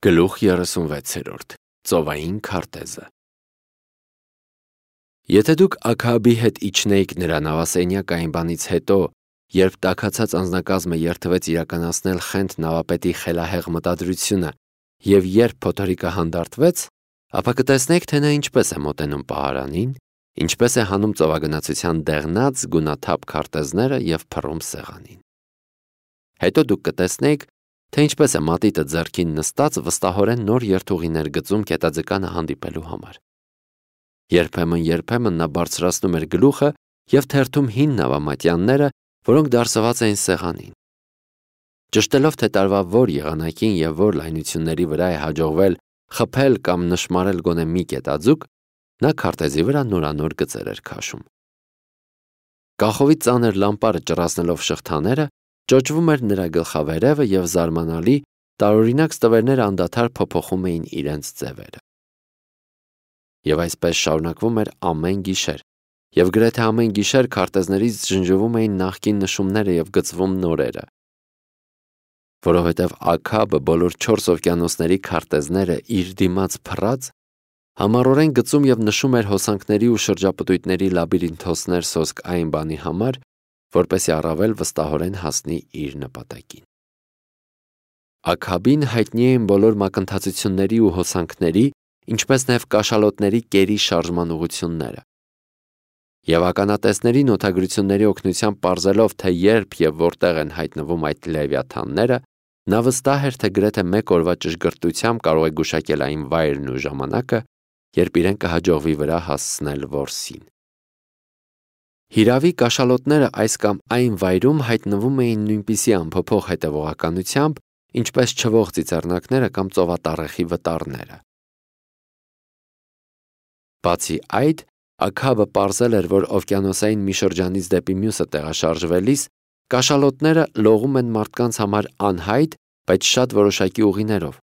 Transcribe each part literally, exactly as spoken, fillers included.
Գլուխ երեսունվեցերորդ. Ծովային քարտեզը։ Եթե դուք Աքաբի հետ իջնեիք նրա նավասենյակ այն բանից հետո, երբ տաքացած անձնակազմը երթվեց իրականացնել Խենթ նավապետի խելահեղ մտադրությունը, և երբ փոթորիկը հանդարտվեց, ապա կտեսնեիք, թե նա ինչպես է մոտենում պահարանին, ինչպես է հանում ծովագնացության դեղնած, գունաթափ քարտեզները և փռում սեղանին։ Հետո դուք կտեսնեիք, թե ինչպես է մատիտը ձեռքին նստած վստահորեն նոր երթուղիներ գծում կետաձկանը հանդիպելու համար։ Երբեմն-երբեմն նա բարձրացնում էր գլուխը և թերթում հին նավամատյանները, որոնք դարսված էին սեղանին։ Ճշտելով, թե տարվա որ եղանակին և որ լայնությունների վրա է հաջողվել խփել կամ նշմարել գոնե մի կետաձուկ, նա քարտեզի վրա նորանոր գծեր էր քաշում։ Կախովի ծանր լամպարը ճռացնելով շղթաները, ճոճվում էր նրա գլխավերևը և զարմանալի, տարօրինակ ստվերները անդադար փոփոխում էին իրենց ձևերը։ Եվ այսպես շարունակվում էր ամեն գիշեր, և գրեթե ամեն գիշեր քարտեզներից ջնջվում էին նախկին նշումները և գծվում նորերը։ Որովհետև Աքաբը բոլոր չորս օվկիանոսների քարտեզները իր դիմաց փռած, համառորեն գծում և նշում էր հոսանքների ու շրջապտույտների լաբիրինթոսներ սոսկ այն բանի համար, որպեսզի առավել վստահորեն հասնի իր նպատակին։ Աքաբին հայտնի էին բոլոր մակընթացությունների ու հոսանքների, ինչպես նաև կաշալոտների կերի շարժման ուղղությունները։ Եվ ականատեսների նոթագրությունների օգնությամբ պարզելով, թե երբ և որտեղ են հայտնվում այդ լևիաթանները, նա վստահ էր, թե գրեթե մեկ օրվա ճշգրտությամբ կարող է գուշակել այն վայրն ու ժամանակը, երբ իրեն կհաջողվի վրա հասցնել որսին։ Հիրավի, կաշալոտները այս կամ այն վայրում հայտնվում էին նույնպիսի անփոփոխ հետևողականությամբ, ինչպես չվող ծիծեռնակները կամ ծովատառեխի վտառները։ Բացի այդ, Աքաբը պարզել էր, որ օվկիանոսային մի շրջանից դեպի մյուսը տեղաշարժվելիս, կաշալոտները լողում են մարդկանց համար անհայտ, բայց շատ որոշակի ուղիներով։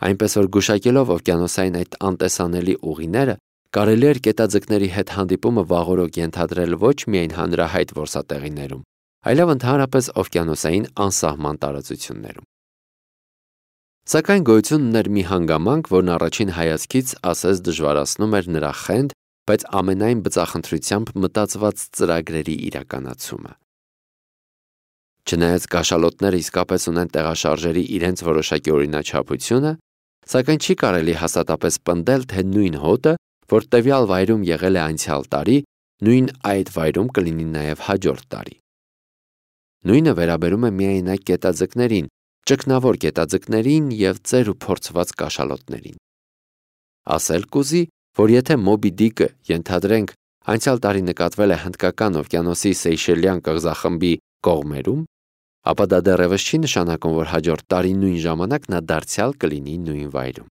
Այնպես որ գուշակելով օվկիանոսային այդ անտեսանելի ուղիները, կարելի էր կետաձկների հետ հանդիպումը վաղօրոք ենթադրել ոչ միայն հանրահայտ որսատեղիներում, այլև ընդհանրապես օվկիանոսային անսահման տարածություններում։ Սակայն գոյություն ուներ մի հանգամանք, որն առաջին հայացքից ասես դժվարացնում էր նրա խենթ, բայց ամենայն բծախնդրությամբ մտածված ծրագրերի իրականացումը։ Չնայած կաշալոտները իսկապես ունեն տեղաշարժերի իրենց որոշակի օրինաչափությունը, սակայն չի կարելի հաստատապես պնդել, թե նույն հոտը, որ տվյալ վայրում եղել է անցյալ տարի, նույն այդ վայրում կլինի նաև հաջորդ տարի։ Նույնը վերաբերում է միայնակ կետաձկներին, ճգնավոր կետաձկներին և ծեր ու փորձված կաշալոտներին։ Ասել կուզի, որ եթե Մոբի Դիկը, ենթադրենք, անցյալ տարի նկատվել է Հնդկական օվկիանոսի Սեյշելյան կղզախմբի կողմերում, ապա դա դեռևս չի նշանակում, որ հաջորդ տարի նույն ժամանակ նա դարձյալ կլինի նույն վայրում։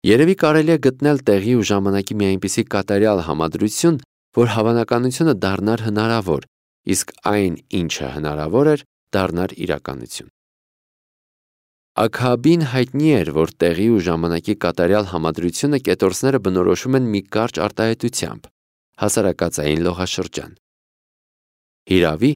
Երևի կարելի է գտնել տեղի ու ժամանակի մի այնպիսի կատարյալ համադրություն, որ հավանականությունը դառնար հնարավոր, իսկ այն, ինչը հնարավոր էր, դառնար իրականություն։ Աքաբին հայտնի էր, որ տեղի ու ժամանակի կատարյալ համադրությունը կետորսները բնորոշում են մի կարճ արտահայտությամբ՝ հասարակածային լողաշրջան։ Հիրավի,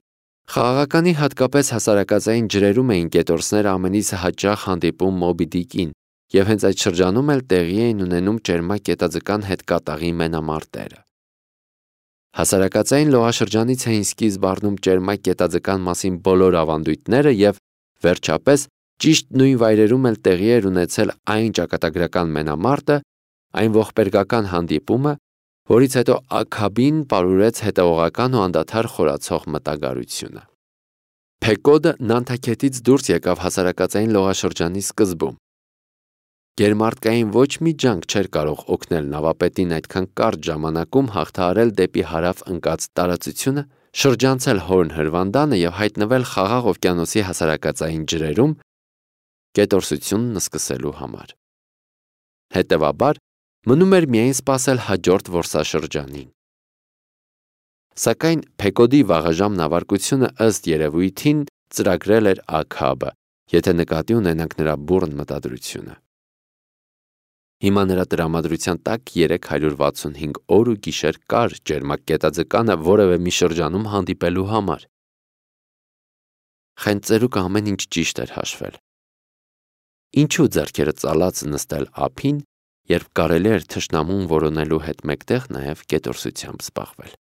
խաղաղականի հատկապես հասարակածային ջրերում էին կետորսները ամենից հաճախ հանդիպում Մոբի Դիկին, և հենց այդ շրջանում էլ տեղի էին ունենում ճերմակ կետաձկան հետ կատաղի մենամարտերը։ Հասարակածային լողաշրջանից էին սկիզբ առնում ճերմակ կետաձկան մասին բոլոր ավանդույթները և, վերջապես, ճիշտ նույն վայրերում էլ տեղի էր ունեցել այն ճակատագրական մենամարտը, այն ողբերգական հանդիպումը, որից հետո Աքաբին պարուրեց հետևողական ու անդադար խորացող մտագարությունը։ Փեկոդը Նանթաքետից դուրս եկավ հասարակածային լողաշրջանի սկզբում։ Գերմարտկային ոչ մի ջանք չէր կարող օգնել նավապետին այդքան կարճ ժամանակում հաղթահարել դեպի հարավ ընկած տարածությունը, շրջանցել Հորն հրվանդանը և հայտնվել Խաղաղ օվկիանոսի հասարակածային ջրերում կետորսությունն սկսելու համար։ Հետևաբար, մնում էր միայն սպասել հաջորդ որսաշրջանին։ Սակայն Փեկոդի վաղաժամ նավարկությունը ըստ երևույթին ծրագրել էր Աքաբը, եթե նկատի ունենանք նրա բուռն մտադրությունը։ Հիմա նրա տրամադրության տակ երեք հարյուր վաթսունհինգ օր ու գիշեր կար ճերմակ կետաձկանը որևէ մի շրջանում հանդիպելու համար։ Խենթ ծերուկը ամեն ինչ ճիշտ էր հաշվել։ Ինչու ձեռքերը ծալած նստել ափին, երբ կարելի էր թշնամուն որոնելու հետ մեկտեղ նաև կետորսությամբ զբաղվել։